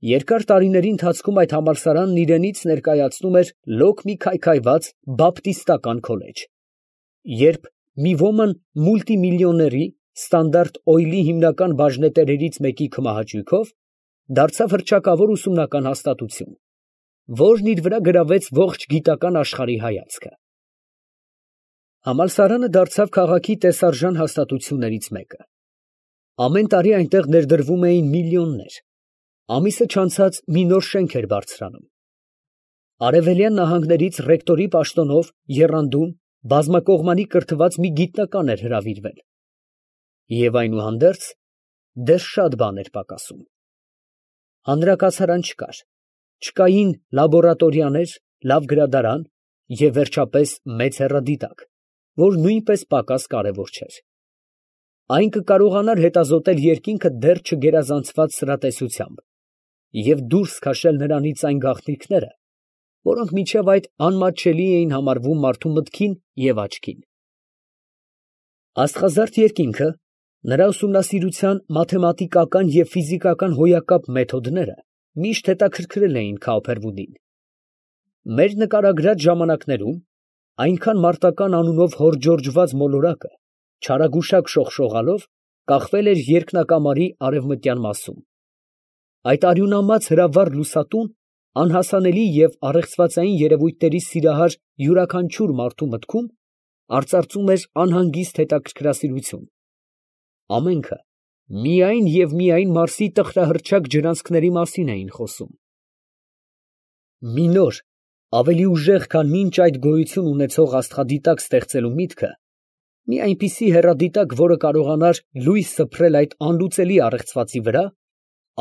Երկար տարիների ընթացքում այդ համալսարանն իրենից ներկայացնում էր լոկ մի քայքայված բապտիստական քոլեջ. երբ մի ոմն մուլտիմիլիոների Ստանդարտ Օյլի հիմնական բաժնետերերից մեկի քմահաճույքով դարձավ հռչակավոր ուսումնական հաստատություն, որն իր վրա գրավեց ողջ գիտական աշխարհի հայացքը։ Համալսարանը դարձավ քաղաքի տեսարժան հաստատություններից մեկը։ Ամեն տարի այնտեղ ներդրվում էին միլիոններ։ Ամիսը չանցած մի նոր շենք էր բարձրանում։ Արևելյան նահանգներից ռեկտորի պաշտոնով եռանդուն բազմակողմանի կրթված մի գիտնական էր հրավիրվել։ Եվ այնուհանդերձ դեռ շատ բան էր պակասում։ Հանրակացարան չկար, չկային լաբորատորիաներ, լավ գրադարան և վերջապես մեծ հեռադիտակ, որ նույնպես պակաս կարևոր չէր։ Այն կկարողանար հետազոտել երկինքը դեռ չգերազանցված սրատեսությամբ և դուրս քաշել նրանից այն գաղտնիքները, որոնք մինչև այդ անմատչելի էին համարվում մարդու մտքին և աչքին։ Աստղազարդ երկինքը, նրա ուսումնասիրության մաթեմատիկական և ֆիզիկական հոյակապ մեթոդները միշտ հետաքրքրել էին Քաուփերվուդին։ Մեր նկարագրած ժամանակներում այնքան մարտական անունով հորժորջված մոլորակը չարագուշակ շողշողալով կախվել էր երկնակամարի արևմտյան մասում։ Այդ արյունամած հրավառ լուսատուն անհասանելի և առեղծվածային երևույթների սիրահար յուրաքանչյուր մարդու մտքում արծարծում էր անհանգիստ հետաքրքրասիրություն։ Ամենքը միայն և միայն Մարսի տխրահռչակ ջրանցքների մասին էին խոսում։ Մի նոր, ավելի ուժեղ, քան մինչ այդ գոյություն ունեցող աստղադիտակ ստեղծելու միտքը, մի այնպիսի հեռադիտակ, որը կարողանար լույս սփռել այդ անլուծելի առեղծվածի վրա,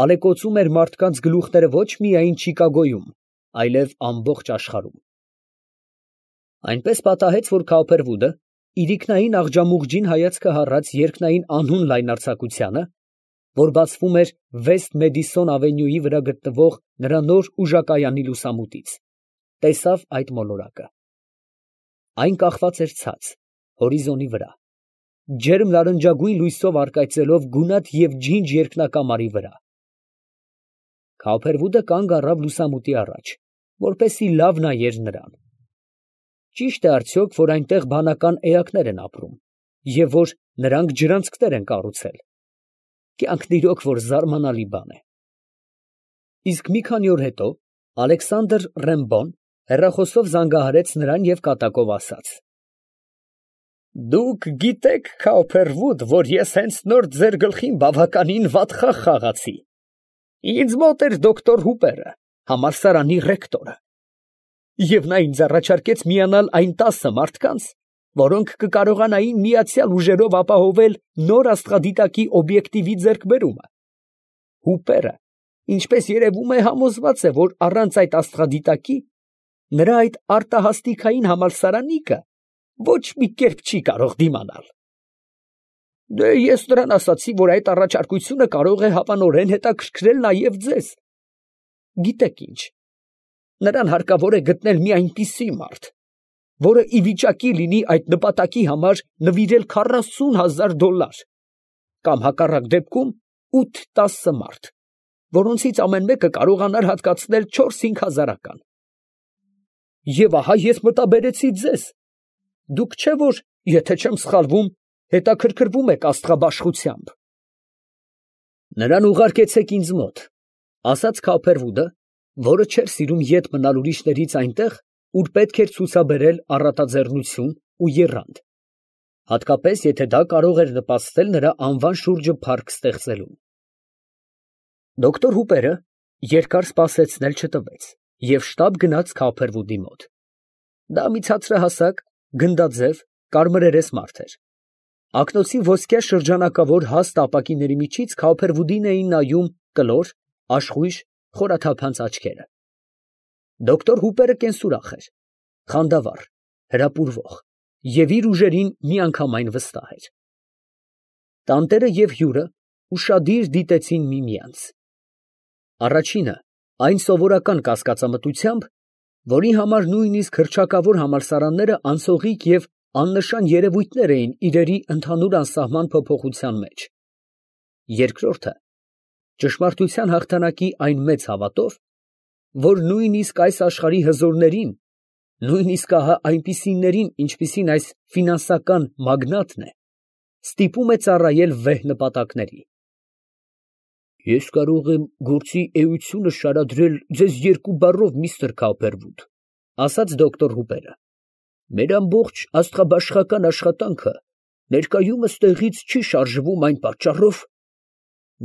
ալեկոծում էր մարդկանց գլուխները ոչ միայն Չիկագոյում, այլև ամբողջ աշխարհում։ Այնպես պատահեց, որ Քաուփերվուդը իրիկնային աղջամուղջին հայացքը հառած երկնային անհուն լայնարձակությանը, որ բացվում էր Վեսթ Մեդիսոն ավենյուի վրա գտնվող նրա նոր ուժակայանի լուսամուտից, տեսավ այդ մոլորակը։ Այն կախված էր ցած, հորիզոնի վրա, ջերմ նարնջագույն լույսով առկայծելով գունատ և ջինջ երկնակամարի վրա։ Քաուփերվուդը կանգ առավ լուսամուտի առաջ, որպեսզի լավ նայեր նրան։ Ճի՞շտ է արդյոք, որ այնտեղ բանական էակներ են ապրում, և որ նրանք ջրանցքներ են կառուցել։ Կյանքն իրոք որ զարմանալի բան է։ Իսկ մի քանի օր հետո Ալեքսանդր Ռեմբոն հեռախոսով զանգահարեց նրան և կատակով ասաց. «Դուք գիտեք, Քաուփերվուդ, որ ես հենց նոր ձեր գլխին բավականին վատ խաղ խաղացի։ Ինձ մոտ էր դոկտոր Հուպերը, համալսարանի ռեկտորը, և նա ինձ առաջարկեց միանալ այն 10 մարդկանց, որոնք կկարողանային միացյալ ուժերով ապահովել նոր աստղադիտակի օբյեկտիվի ձեռքբերումը։ Հուպերը, ինչպես երևում է, համոզված է, որ առանց այդ աստղադիտակի նրա այդ արտահասթիկային համալսարանիկը ոչ մի կերպ չի կարող դիմանալ։ Դե ես նրան ասացի, որ այդ առաջարկությունը կարող է հավանորեն հետաքրքրել նաև ձեզ։ Գիտեք ինչ, նրան հարկավոր է գտնել մի այնպիսի մարդ, որը ի վիճակի լինի այդ նպատակի համար նվիրել $40,000, կամ հակառակ դեպքում 8-10 մարդ, որոնցից ամեն մեկը կարողանար հատկացնել 4-5 հազարական։ Եվ ահա ես մտաբերեցի ձեզ. դուք չէ՞ որ, եթե չեմ սխալվում, հետաքրքրվում եք աստղաբաշխությամբ։ Նրան ուղարկեցեք ինձ մոտ, ֊ ասաց Քաուփերվուդը, որը չէր սիրում ետ մնալ ուրիշներից այնտեղ, ուր պետք էր ցուցաբերել առատաձեռնություն ու եռանդ, հատկապես եթե դա կարող էր նպաստել նրա անվան շուրջը փառք ստեղծելուն։ Դոկտոր Հուպերը երկար սպասեցնել չտվեց և շտապ գնաց Քաուփերվուդի մոտ։ Դա մի ցածրահասակ, գնդաձև, կարմրերես մարդ էր։ Ակնոցի ոսկյա շրջանակավոր հաստ ապակիների միջից Քաուփերվուդին էին նայում կլոր, աշխույժ, խորաթափանց աչքերը։ Դոկտոր Հուպերը կենսուրախ էր, խանդավառ, հրապուրվող և իր ուժերին միանգամայն վստահ էր։ Տանտերը և հյուրը ուշադիր դիտեցին միմյանց։ Առաջինը այն սովորական կասկածամտությամբ, որի համար նույնիսկ հռչակավոր համալսարանները անցողիկ և աննշան երևույթներ էին իրերի ընդհանուր անսահման փոփոխության մեջ։ Երկրորդը ճշմարտության հաղթանակի այն մեծ հավատով, որ նույնիսկ այս աշխարհի հզորներին, նույնիսկ ահա այնպիսիներին, ինչպիսին այս ֆինանսական մագնատն է, ստիպում է ծառայել վեհ նպատակների։ Ես կարող եմ գործի էությունը շարադրել ձեզ երկու բառով, միստր Քոփերվուդ, ասաց դոկտոր Հուպերը. մեր ամբողջ աստղաբաշխական աշխատանքը ներկայումս տեղից չի շարժվում այն պատճառով,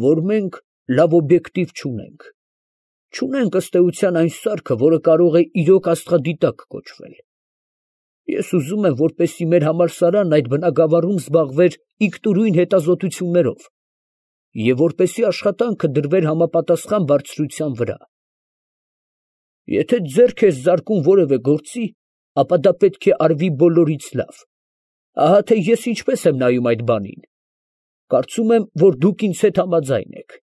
որ մենք լավ օբյեկտիվ չունենք։ Չունենք ըստ էության այն սարքը, որը կարող է իրոք աստղադիտակ կոչվել։ Ես ուզում եմ, որպեսզի մեր համալսարանն այդ բնագավառում զբաղվեր ինքնուրույն հետազոտություններով և որպեսզի աշխատանքը դրվեր համապատասխան բարձրության վրա։ Եթե ձեռք ես զարկում որևէ գործի, ապա դա պետք է արվի բոլորից լավ։ Ահա թե ես ինչպես եմ նայում այդ բանին։ Կարծում եմ, որ դուք ինձ հետ համաձայն եք։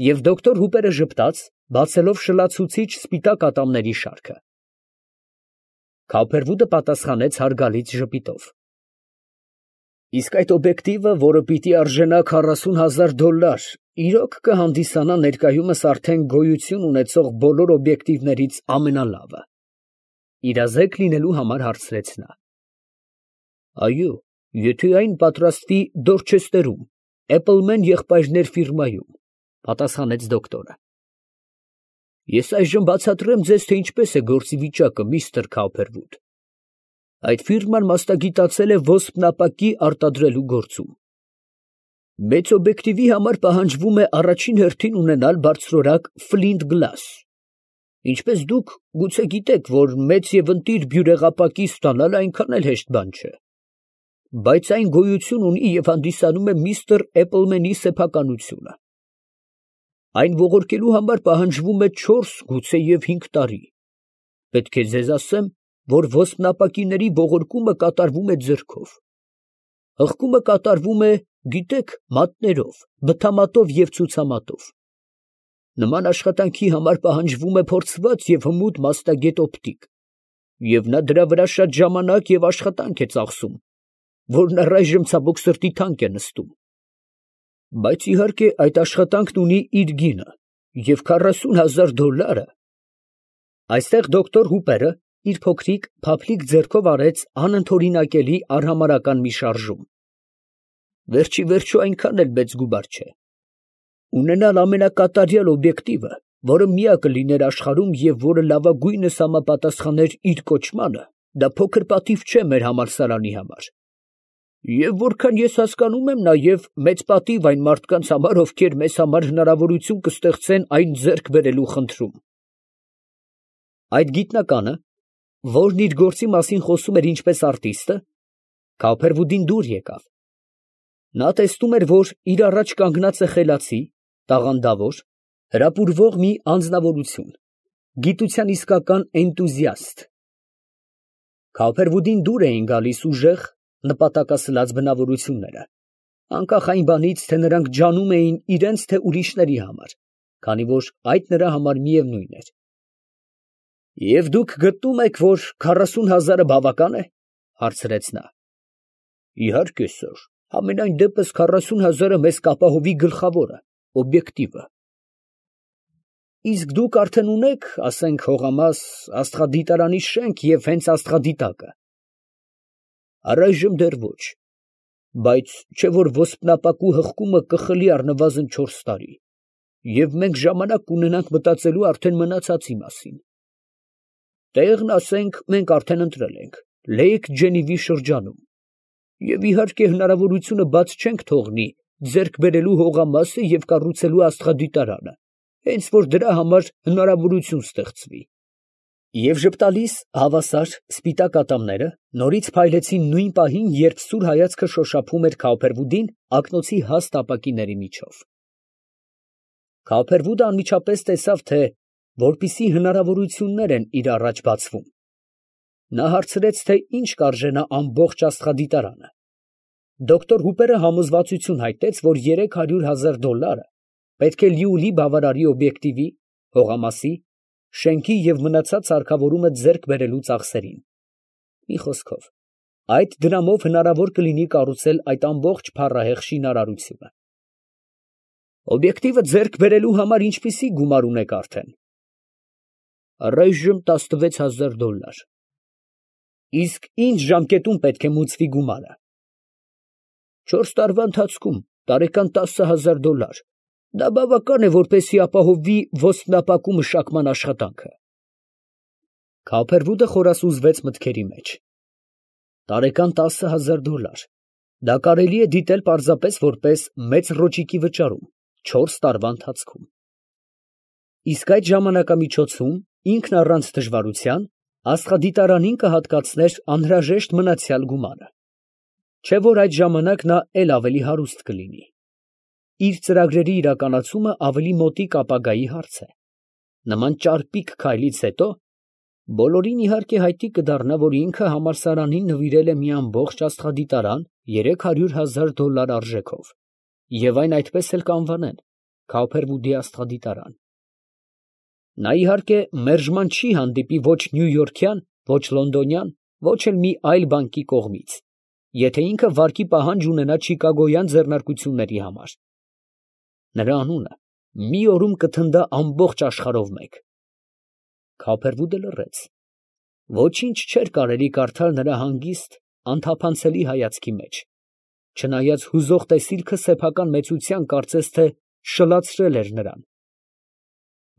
Եվ դոկտոր Հուպերը ժպտաց, բացելով շլացուցիչ սպիտակ ատամների շարքը։ Քոփերվուդը պատասխանեց հարգալից ժպիտով. Իսկ այդ օբյեկտիվը, որը պիտի արժենա $40,000, իրոք կհանդիսանա ներկայումս արդեն գոյություն ունեցող բոլոր օբյեկտիվներից ամենալավը։ Իրազեկ լինելու համար հարցրեց նա։ Այո, եթե այն պատրաստվի Դորչեսթերում, Էփլմեն եղբայրներ ֆիրմայում, պատասխանեց դոկտորը։ Ես այժմ բացատրեմ ձեզ, թե ինչպես է գործի վիճակը, միստր Քոփերվուդ։ Այդ ֆիրման մասնագիտացել է ոսպն ապակի արտադրելու գործում։ Մեծ օբյեկտիվի համար պահանջվում է առաջին հերթին ունենալ բարձրորակ ֆլինտ գլաս։ Ինչպես դուք գուցե գիտեք, որ մեծ և ընտիր բյուրեղապակի ստանալը այնքան էլ հեշտ բան չէ։ Բայց այն գոյություն ունի և հանդիսանում է միստր Էփլմենի սեփականությունը։ Այն ողորկելու համար պահանջվում է 4, գուցե և 5 տարի։ Պետք է ձեզ ասեմ, որ ոսպնապակիների ողորկումը կատարվում է ձեռքով։ Հղկումը կատարվում է, գիտեք, մատներով, բթամատով և ցուցամատով։ Նման աշխատանքի համար պահանջվում է փորձված և հմուտ մասնագետ օպտիկ, և նա դրա վրա շատ ժամանակ և աշխատանք է ծախսում, որն առայժմ ցավոք սրտի թանկ է նստում։ Բայց իհարկե այդ աշխատանքն ունի իր գինը, և $40,000… Այստեղ դոկտոր Հուպերը իր փոքրիկ, փափլիկ ձեռքով արեց անընդօրինակելի արհամարհական մի շարժում։ Վերջ ի վերջո այնքան էլ մեծ գումար չէ։ Ունենալ ամենակատարյալ օբյեկտիվը, որը միակը լիներ աշխարհում և որը լավագույնս համապատասխաներ իր կոչմանը, դա փոքր պատիվ չէ մեր համալսարանի համար։ Եվ որքան ես հասկանում եմ, նաև մեծ պատիվ այն մարդկանց համար, ովքեր մեզ համար հնարավորություն կստեղծեն այն ձեռք բերելու խնդրում։ Այդ գիտնականը, որն իր գործի մասին խոսում էր ինչպես արտիստը, Քոփերվուդին դուր եկավ։ Նա տեսնում էր, որ իր առաջ կանգնած է խելացի, տաղանդավոր, հրապուրվող մի անձնավորություն, գիտության իսկական էնտուզիաստ։ Քոփերվուդին դուր էին գալիս ուժեղ, նպատակասլաց բնավորությունները, անկախ այն բանից, թե նրանք ջանում էին իրենց, թե ուրիշների համար, քանի որ այդ նրա համար միևնույն էր։ Եվ դուք գտնում եք, որ 40,000-ը բավական է, հարցրեց նա։ Իհարկե, սըր, համենայն դեպս 40,000-ը մեզ կապահովի գլխավորը, օբյեկտիվը։ Իսկ դուք արդեն ունեք, ասենք, հողամաս, աստղադիտարանի շենք և հենց աստղադիտակը։ Առայժմ դեռ ոչ, բայց չէ որ ոսպնապակու հղկումը կխլի առնվազն 4 տարի, և մենք ժամանակ կունենանք մտածելու արդեն մնացածի մասին։ Տեղն, ասենք, մենք արդեն ընտրել ենք, Լեյք Ջենիվի շրջանում, և իհարկե հնարավորությունը բաց չենք թողնի ձեռք բերելու հողամասը և կառուցելու աստղադիտարանը, հենց որ դրա համար հնարավորություն ստեղծվի։ Եվ ժպտալիս հավասար սպիտակ ատամները նորից փայլեցին նույն պահին, երբ սուր հայացքը շոշափում էր Քոփերվուդին ակնոցի հաստ ապակիների միջով։ Քոփերվուդը անմիջապես տեսավ, թե որպիսի հնարավորություններ են իր առաջ բացվում։ Նա հարցրեց, թե ինչ կարժենա ամբողջ աստղադիտարանը։ Դոկտոր Հուպերը համոզվածություն հայտնեց, որ $300,000 պետք է լիուլի բավարարի օբյեկտիվի, հողամասի, շենքի և մնացած սարքավորումը ձեռք բերելու ծախսերին։ Մի խոսքով, այդ դրամով հնարավոր կլինի կառուցել այդ ամբողջ փառահեղ շինարարությունը։ Օբյեկտիվը ձեռք բերելու համար ինչպիսի գումար ունեք արդեն։ Առայժմ $16,000։ Իսկ ինչ ժամկետում պետք է մուծվի գումարը։ 4 տարվա ընթացքում տարեկան $10,000։ Դա բավական է, որպեսզի ապահովվի ոստնապակու մշակման աշխատանքը։ Քափերվուդը խորասուզվեց մտքերի մեջ։ Տարեկան $10,000։ Դա կարելի է դիտել պարզապես որպես մեծ ռոճիկի վճարում 4 տարվա ընթացքում։ Իսկ այդ ժամանակամիջոցում ինքն առանց դժվարության աստղադիտարանին կհատկացներ անհրաժեշտ մնացյալ գումարը, չէ՞ որ այդ ժամանակ նա էլ ավելի հարուստ կլինի։ Իր ծրագրերի իրականացումը ավելի մոտիկ ապագայի հարց է։ Նման ճարպիկ քայլից հետո բոլորին իհարկե հայտնի կդառնա, որ ինքը համալսարանին նվիրել է մի ամբողջ աստղադիտարան $300,000 արժեքով, և այն այդպես էլ կանվանեն Քափերվուդի աստղադիտարան։ Նա իհարկե մերժման չի հանդիպի ոչ նյույորքյան, ոչ լոնդոնյան, ոչ էլ մի այլ բանկի կողմից, եթե ինքը վարկի պահանջ ունենա չիկագոյան ձեռնարկությունների համար։ Նրա անունը մի օրում կթնդա ամբողջ աշխարհով մեկ։ Քափերվուդը լռեց։ Ոչինչ չէր կարելի կարդալ նրա հանգիստ, անթափանցելի հայացքի մեջ, չնայած հուզող տեսիլքը սեփական մեծության կարծես թե շլացրել էր նրան։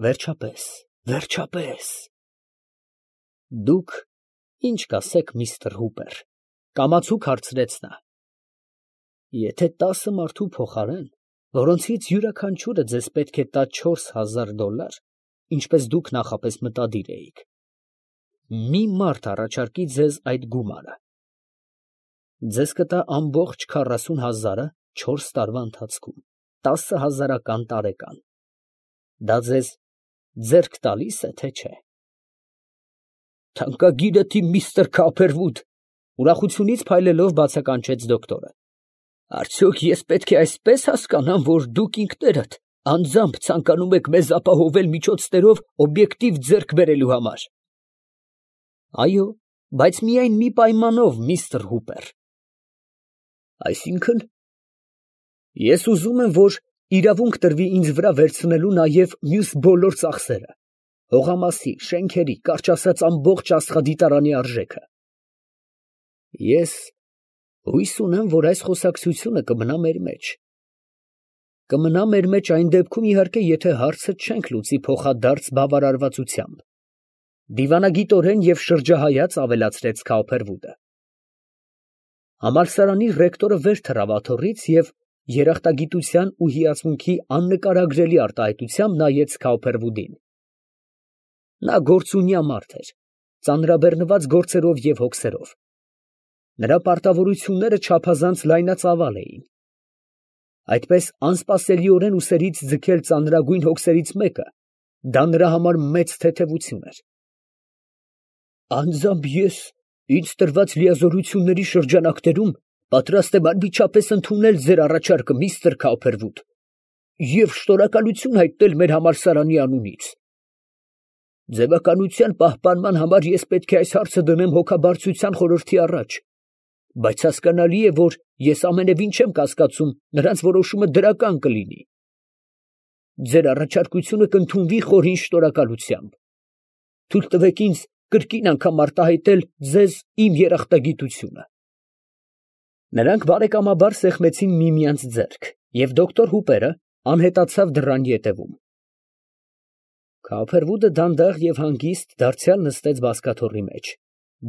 Վերջապես, վերջապես։ Դուք ինչ կասեք, միստր Հուպեր, կամացուկ հարցրեց նա։ Եթե 10 մարդու փոխարեն, որոնցից յուրաքանչյուրը ձեզ պետք է տա $4,000, ինչպես դուք նախապես մտադիր էիք, մի մարդ առաջարկի ձեզ այդ գումարը, ձեզ կտա ամբողջ 40,000-ը 4 տարվա ընթացքում, 10,000 տարեկան։ Դա ձեզ ձեռք տալի՞ս է, թե չէ։ Թանկագիրդ իմ միստր Քափերվուդ, ուրախությունից փայլելով բացականչեց դոկտորը։ Արդյոք ես պետք է այսպես հասկանամ, որ դուք ինքներդ անձամբ ցանկանում եք մեզ ապահովել միջոցներով օբյեկտիվ ձեռք բերելու համար։ Այո, բայց միայն մի պայմանով, միստր Հուպեր։ Այսինքն, ես ուզում եմ, որ իրավունք տրվի ինձ վրա վերցնելու նաև մյուս բոլոր ծախսերը, հողամասի, շենքերի, կարճ ասած ամբողջ աստղադիտարանի արժեքը։ Ես հույս ունեմ, որ այս խոսակցությունը կմնա մեր մեջ։ Կմնա մեր մեջ այն դեպքում, իհարկե, եթե հարցը չենք լուծի փոխադարձ բավարարվածությամբ։ Դիվանագիտորեն և շրջահայաց ավելացրեց Քափերվուդը։ Համալսարանի ռեկտորը վեր թռավ աթոռից և երախտագիտության ու հիացմունքի աննկարագրելի արտահայտությամբ նայեց Քափերվուդին։ Նա գործունյա մարդ էր, ծանրաբեռնված գործերով և հոգսերով։ Նրա պարտավորությունները չափազանց լայնածավալ էին։ Այդպես անսպասելիորեն ուսերից ձգել ծանրագույն հոգսերից մեկը, դա նրա համար մեծ թեթևություն էր։ Անձամբ ես ինձ տրված լիազորությունների շրջանակներում պատրաստ եմ անմիջապես ընդունել ձեր առաջարկը, միստր Քափերվուդ, և շնորհակալություն հայտնել մեր համալսարանի անունից։ Ձևականության պահպանման համար ես պետք է այս հարցը դնեմ հոգաբարձության խորհրդի առաջ, բայց հասկանալի է, որ ես ամենևին չեմ կասկածում նրանց որոշումը դրական կլինի։ Ձեր առաջարկությունը կընդունվի խորին շնորհակալությամբ։ Թույլ տվեք ինձ կրկին անգամ արտահայտել ձեզ իմ երախտագիտությունը։ Նրանք բարեկամաբար սեղմեցին միմյանց ձեռք, և դոկտոր Հուպերը անհետացավ դռան ետևում։ Քափերվուդը դանդաղ և հանգիստ դարձյալ նստեց բազկաթոռի մեջ,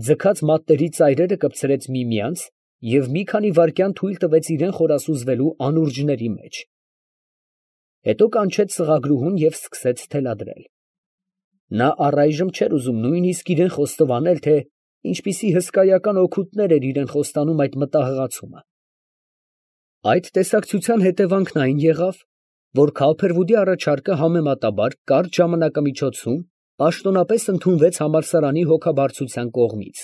ձգած մատների ծայրերը կպցրեց միմյանց և մի քանի վայրկյան թույլ տվեց իրան խորասուզվելու անուրջների մեջ։ Հետո կանչեց սղագրուհուն և սկսեց թելադրել։ Նա առայժմ չէր ուզում նույնիսկ իրան խոստովանել, թե ինչպիսի հսկայական օգուտներ էր իրան խոստանում այդ մտահղացումը։ Այդ տեսակցության հետևանքն այն եղավ, որ Քափերվուդի առաջարկը համեմատաբար կարճ ժամանակամիջոցում պաշտոնապես ընդունվեց համալսարանի հոգաբարձության կողմից,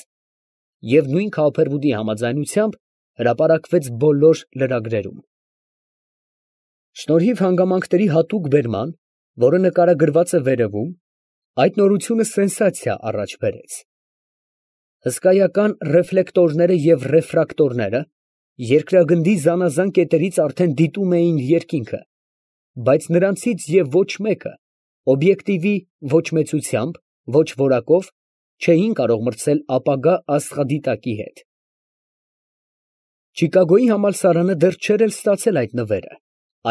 և նույն Քափերվուդի համաձայնությամբ հրապարակվեց բոլոր լրագրերում։ Շնորհիվ հանգամանքների հատուկ բերման, որը նկարագրված է վերևում, այդ նորությունը սենսացիա առաջ բերեց։ Հսկայական ռեֆլեկտորները և ռեֆրակտորները երկրագնդի զանազան կետերից արդեն դիտում էին երկինքը, բայց նրանցից և ոչ մեկը օբյեկտիվի ոչ մեծությամբ, ոչ որակով չէին կարող մրցել ապագա աստղադիտակի հետ։ Չիկագոյի համալսարանը դեռ չէր էլ ստացել այդ նվերը,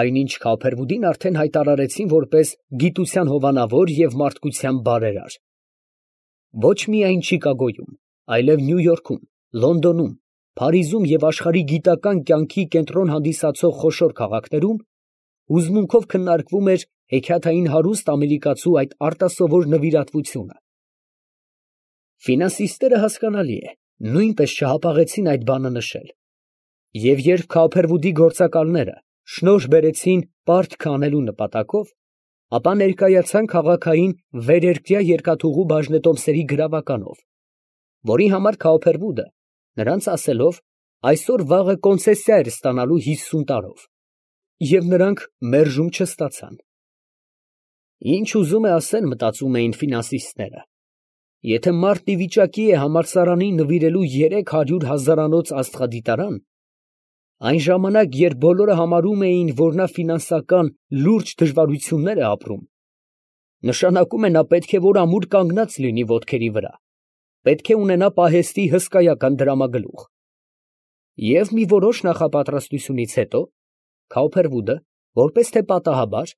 այնինչ Քոփերվուդին արդեն հայտարարեցին որպես գիտության հովանավոր և մարդկության բարերար։ Ոչ միայն Չիկագոյում, այլև Նյու Յորքում, Լոնդոնում, Փարիզում և աշխարհի գիտական կյանքի կենտրոն հանդիսացող խոշոր քաղաքներում հուզմունքով քննարկվում էր հեքիաթային հարուստ ամերիկացու այդ արտասովոր նվիրատվությունը։ Ֆինանսիստները, հասկանալի է, նույնպես չհապաղեցին այդ բանը նշել։ Եվ երբ Քոփերվուդի գործակալները շնորհ բերեցին պարտքը անելու նպատակով, ապա ներկայացան քաղաքային վերերկրյա երկաթուղու բաժնետոմսերի գրավականով, որի համար Քոփերվուդը, նրանց ասելով, այսօր֊վաղը կոնցեսիա էր ստանալու 50 տարով, և նրանք մերժում չստացան։ Ինչ ուզում է ասել, մտածում էին ֆինանսիստները, եթե մարդն ի վիճակի է համալսարանին նվիրելու 300 հազարանոց աստղադիտարան, այն ժամանակ, երբ բոլորը համարում էին, որ նա ֆինանսական լուրջ դժվարություններ է ապրում, նշանակում է նա պետք է որ ամուր կանգնած լինի ոտքերի վրա, պետք է ունենա պահեստի հսկայական դրամագլուխ։ Եվ մի որոշ նախապատրաստությունից հետո Քոփերվուդը, որպես թե պատահաբար,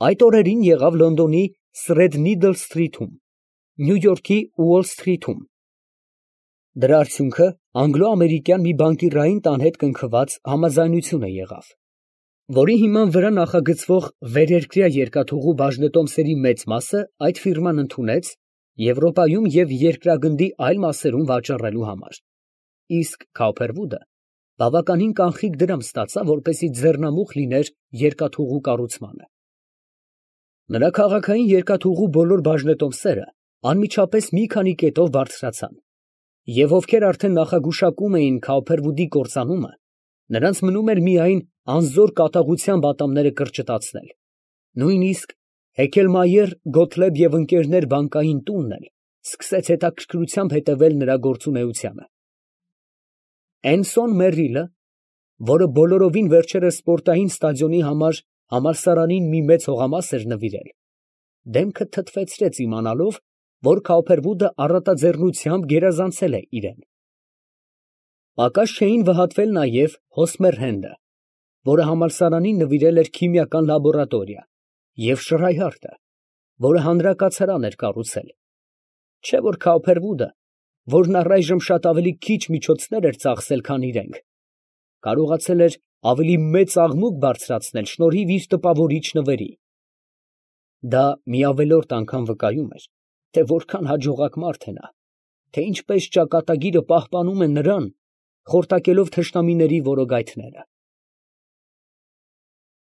այդ օրերին եղավ Լոնդոնի Թրեդնիդլ սթրիթում, Նյու Յորքի Ուոլ սթրիթում։ Դրա արդյունքը անգլո֊ամերիկյան մի բանկիրային տան հետ կնքված համաձայնություն եղավ, որի հիման վրա նախագծվող վերերկրյա երկաթուղու բաժնետոմսերի մեծ մասը այդ ֆիրման ընդունեց Եվրոպայում և երկրագնդի այլ մասերում վաճառելու համար, իսկ Քոփերվուդը բավականին կանխիկ դրամ ստացավ, որպեսզի ձեռնամուխ լիներ երկաթուղու կառուցմանը։ Նրա քաղաքային երկաթուղու բոլոր բաժնետոմսերը անմիջապես մի քանի կետով բարձրացան, և ովքեր արդեն նախագուշակում էին Քոփերվուդի կործանումը, նրանց մնում էր միայն անզոր կատաղությամբ ատամները կրճտացնել, նույնիսկ Հեքելմայեր, Գոթլեբ և ընկերներ բանկային տունն էլ սկսեց հետաքրքրությամբ հետևել նրա գործունեությանը։ Էնսոն Մերրիլը, որը բոլորովին վերջերս սպորտային ստադիոնի համար համալսարանին մի մեծ հողամաս էր նվիրել, դեմքը թթվեցրեց իմանալով, որ Քոփերվուդը առատաձեռնությամբ գերազանցել է իրան։ Պակաս չէին վհատվել նաև Հոսմեր Հենդը, որը համալսարանին նվիրել էր քիմիական լաբորատորիա, և Շրայհարտը, որը հանրակացարան էր կառուցել, չէ՞ որ Քոփերվուդը, որն առայժմ շատ ավելի քիչ միջոցներ էր ծախսել, քան իրենք, կարողացել էր ավելի մեծ աղմուկ բարձրացնել շնորհիվ իր տպավորիչ նվերի։ Դա մի ավելորդ անգամ վկայում էր, թե որքան հաջողակ մարդ է նա, թե ինչպես ճակատագիրը պահպանում է նրան, խորտակելով թշնամիների որոգայթները։